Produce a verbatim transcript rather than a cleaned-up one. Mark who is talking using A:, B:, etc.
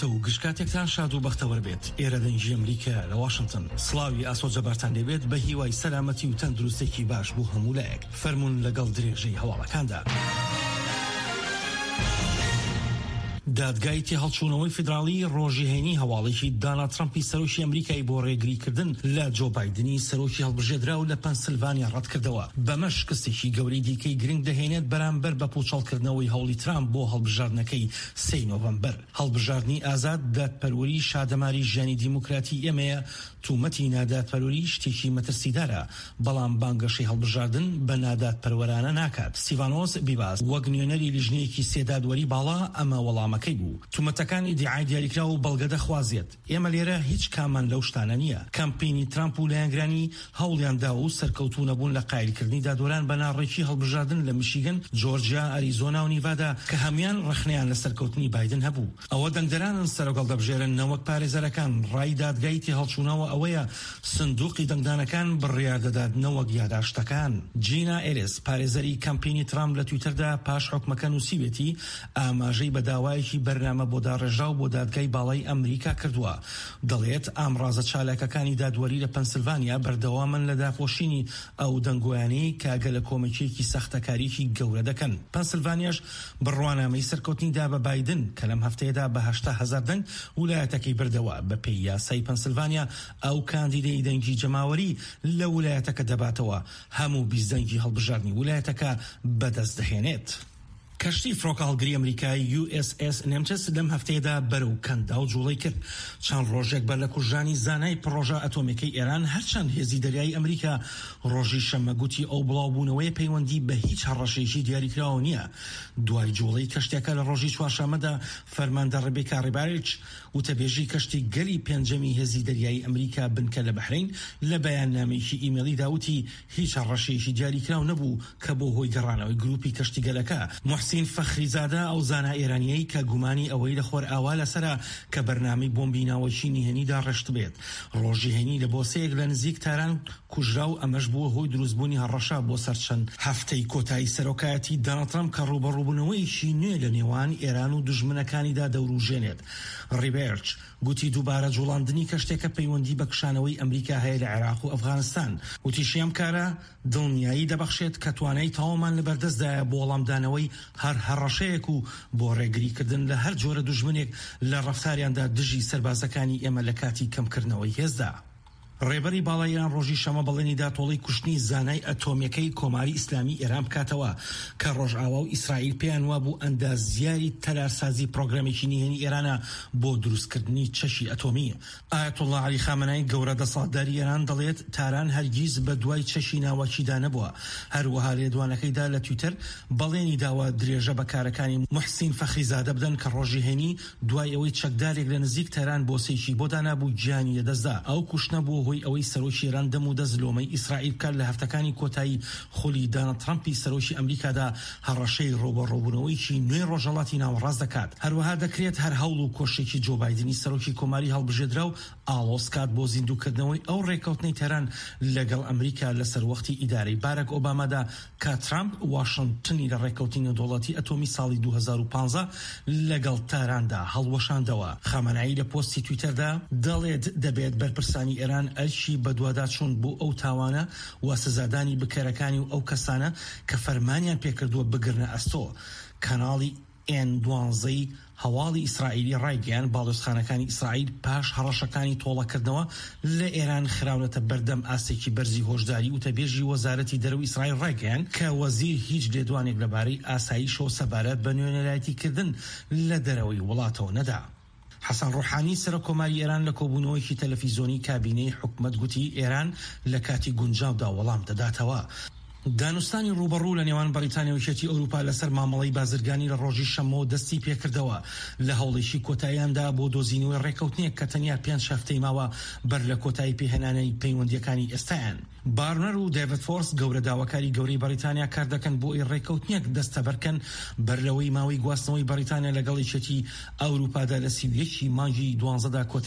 A: کاتە و گشت کاتێکتان شاد و بەختەوەر بێت. ئێرە دەنگی ئەمریکا لە واشنتن. سڵاوی ئاسۆ جەبارتان لێبێت بە هیوای سەلامەتی و تەندروستێکی باش بۆ هەموو لایەک. فەرموون لەگەڵ درێژەی هەواڵەکاندا. دادگای تێهەڵچوونەوەی فیدراڵی ڕۆژی هەینی هەواڵێکی داناڵد ترەمپی سەرۆکی ئەمریکای بۆ ڕێگریکردن لە جۆ بایدنی سەرۆکی هەڵبژێردراو لە پەنسلڤانیا ڕەتکردەوە، بەمەش شکستێکی گەورەی دیکەی گرنگ دەهێنێت بەرامبەر بە پوچەڵکردنەوەی هەوڵی ترامپ بۆ هەڵبژاردنەکەی سێی نۆڤەمبەر. هەڵبژاردنی ئازاد دادپەروەری شادەماری ژیانی دیموکراتی ئێمەیە، تومەتی نادادپەروەری شتێکی مەترسیدارە، بەڵام بانگەشەی هەڵبژاردن بە نادادپەروەرانە ناکات. ستیڤانۆس بیباس وەک نوێنەری لیژنەیەکی سێ دادوەری باڵا ئەمە وەڵامەکەی بوو. تومەتەکان ئیدیعای دیاریکراو و بەڵگە دەخوازێت. ئێمە لێرە هیچ کاممان لەو شتانە نییە. کەمپینی ترامپ و لایەنگرانی هەوڵیان داوە و سەرکەوتوو نەبوون لە قایلکردنی دادوەران بە ناڕێکی هەڵبژاردن لە میشیگن، جۆرجیا، ئەریزۆنا و نیڤادا کە هەموویان ڕەخنەیان لە سەرکەوتنی بایدن هەبوو. ئەوە دەنگدەرانن سەرۆک هەڵدەبژێرن نەوەک پارێزەرەکان. ڕای دادگای تێهەڵچوونەوە ئەوەیە سندوقی دەنگدانەکان بڕیار دەدات نەوەک یاداشتەکان. جینا ئێلیس، پارێزەری کەمپینی ترامپ لە تویتەردا پاش حوکمەکە نووسیوێتی، ئاماژەی بە داوایەکی بەرنامە بۆ داڕێژراو بۆ دادگای باڵای ئەمریکا کردووە. دەڵێت ئامڕازە چالاکەکانی دادوەری لە پەنسلڤانیا بەردەوامن لە داپۆشینی ئەو دەنگۆیانەی کە گەلەکۆمەکییەکی ساختەکاریی گەورە دەکەن. پەنسلڤانیاش بڕوانامەی سەرکەوتنی دا بە بایدن کە لەم هەفتەیەدا بە هەشتا هەزار دەنگ ولایەتەکەی بردەوە. بەپێی یاسای پەنسلڤانیا ئەو کاندیدەی دەنگی جەماوەری لە ولایەتەکە دەباتەوە هەموو بیست دەنگی هەڵبژاردنی ولایەتەکە بەدەست دەهێنێت. کەشتی فڕۆکەهەڵگری ئەمریکایی یو ئێس ئێس نێمتس لەم هەفتەیەدا بەرەو کەنداو جوڵەی کرد، چەند ڕۆژێک بەر لە کوژرانی زانای پڕۆژە ئەتۆمیەکەی ئێران، هەرچەند هێزی دەریایی ئەمریکا ڕۆژی شەممە گوتی ئەو بڵاوبوونەوەیە پەیوەندی بە هیچ هەڕەشەیەکی دیاریکراوەوە نییە. دوای جوڵەی کەشتیەکە لە ڕۆژی چوارشەممەدا، فەرماندە ڕێبێکا ڕیباریچ، وتەبێژی کەشتی گەلی پێنجەمی هێزی دەریایی ئەمریکا بنکە لە بەحرەین، لە بەیاننامەیەکی ئیمەیڵیدا وتی هیچ هەڕەشەیەکی دیاریکراو نەبوو کە بۆ هۆی گەڕانەوەی گروپی کەشتیگەلەکە. موحسین فەخریزادە، ئەو زانا ئێرانییەی کە گومانی ئەوەی لە خۆرئاوا لەسەرە کە بەرنامەی بۆمبی ناوەکی نهێنی داڕێشتبێت، ڕۆژی هەینی لە بۆسەیەک لە نزیک تاران کوژرا و ئەمەش بووە هۆی دروستبوونی هەڕەشە بۆ سەر چەند هەفتەی کۆتایی سەرۆکایەتی داناڵد ترەمپ کە ڕووبەڕووبوونەوەیەکی نوێ لە نێوان ئێران و دوژمنەکانیدا دەوروژێنێت. ڕیبێرچ گوتی دووبارە جوڵاندنی کەشتیەکە پەیوەندی بە کشانەوەی ئەمریکا هەیە لە عێراق و ئەفغانستان. وتیشی ئەم کارە دڵنیایی دەبەخشێت کە توانای تەواومان لەبەردەستدایە بۆ وەڵامدانەوەی هەر هەڕەشەیەک و بۆ ڕێگریکردن لە هەر جۆرە دوژمنێک لە ڕەفتاریاندا دژی سەربازەکانی ئێمە لە کاتی کەمکردنەوەی هێزدا. ڕێبەری باڵای ئێران ڕۆژی شەممە بەڵێنی دا تۆڵەی کوشتنی زانای ئەتۆمییەکەی کۆماری ئیسلامی ئێران بکاتەوە کە ڕۆژئاوا و ئیسرائیل پێیان وابوو ئەندازیاری تەلارسازی پرۆگرامێکی نهێنی ئێرانە بۆ دروستکردنی چەکی ئەتۆمی. ئایەتوڵڵا عەلی خامەنەئی گەورە دەسەڵاتداری ئێران دەڵێت تاران هەرگیز بە دوای چەکی ناوەکیدا نەبووە. هەروەها لێدوانەکەیدا لە تویتەر بەڵێنی داوە درێژە بە کارەکانی موحسین فەخریزادە بدەن کە ڕۆژی هەینی دوای ئەوەی چەکدارێک لە نزیک تاران بۆسەیەکی بۆ دانابوو گیانی لەدەستدا. ئەو کوشتنە بووە هۆی ئەوەی سەرۆکی ئێران دەم و دەست لۆمەی ئیسرائیل بکات لە هەفتەکانی کۆتایی خولی داناڵد ترەمپی سەرۆکی ئەمریکادا هەڕەشەی ڕووبەڕووبوونەوەیەکی نوێی ڕۆژهەڵاتی ناوەڕاست دەکات. هەروەها دەکرێت هەر هەوڵ و کۆششێکی جۆ بایدنی سەرۆکی کۆماری هەڵبژێردراو ئاڵۆز کات بۆ زیندووکردنەوەی ئەو ڕێککەوتنەی تاران لەگەڵ ئەمریکا لە سەروەختی ئیدارەی بارەک ئۆبامادا کە ترامپ واشنتنی لە ڕێککەوتنی نێودەوڵەتی ئەتۆمی ساڵی دوو هەزار و پازدە لەگەڵ تاراندا هەڵوەشاندەوە. خامەنەئی لە پۆستی تویتەردا دەڵێت دەبێت بەرپرسانی ئێران ئەرکی بەدواداچوون بۆ ئەو تاوانە و سزادانی بکەرەکانی و ئەو کەسانە کە فەرمانیان پێکردووە بگرنە ئەستۆ. کەناڵی ئێن دوانزەی هەواڵی ئیسرائیلی ڕایگەیاند، باڵیۆزخانەکانی ئیسرائیل پاش هەڕەشەکانی تۆڵەکردنەوە لە ئێران خراونەتە بەردەم ئاستێکی بەرزی هۆشداری. وتەبێژی وەزارەتی دەرەوەی ئیسرائیل ڕایگەیاند کە وەزیر هیچ لێدوانێک لەبارەی ئاسایشەوە سەبارەت بە نوێنەرایەتیکردن لە دەرەوەی وڵاتەوە نەدا. حەسەن ڕۆحانی سەرۆک کۆماری ئێران لە کۆبوونەوەیەکی تەلەفیزۆنی کابینەی حکومەت گوتی ئێران لە کاتی گونجاودا وەڵام دەداتەوە. دانوستانی ڕووبەڕوو لە نێوان بەڕیتانیا و یەکێتی ئەوروپا لەسەر مامەڵەی بازرگانی لە ڕۆژی شەممەوە دەستی پێکردەوە لە هەوڵێکی کۆتاییاندا بۆ دۆزینەوەی ڕێککەوتنێک کە تەنیا پێنج هەفتەی ماوە بەر لە کۆتایی پێهێنانی پەیوەندییەکانی ئێستایان. بارنەر و دەیڤد فۆرس گەورە داواکاری گەورەی بەڕیتانیا کاردەکەن بۆ ئەوەی ڕێککەوتنێک دەستەبەرکەن بەر لەوەی ماوەی گواستنەوەی بەڕیتانیا لەگەڵ یەکێتی ئەوروپادا لە سی و یەک ی مانگی دوانزەدا کۆتایی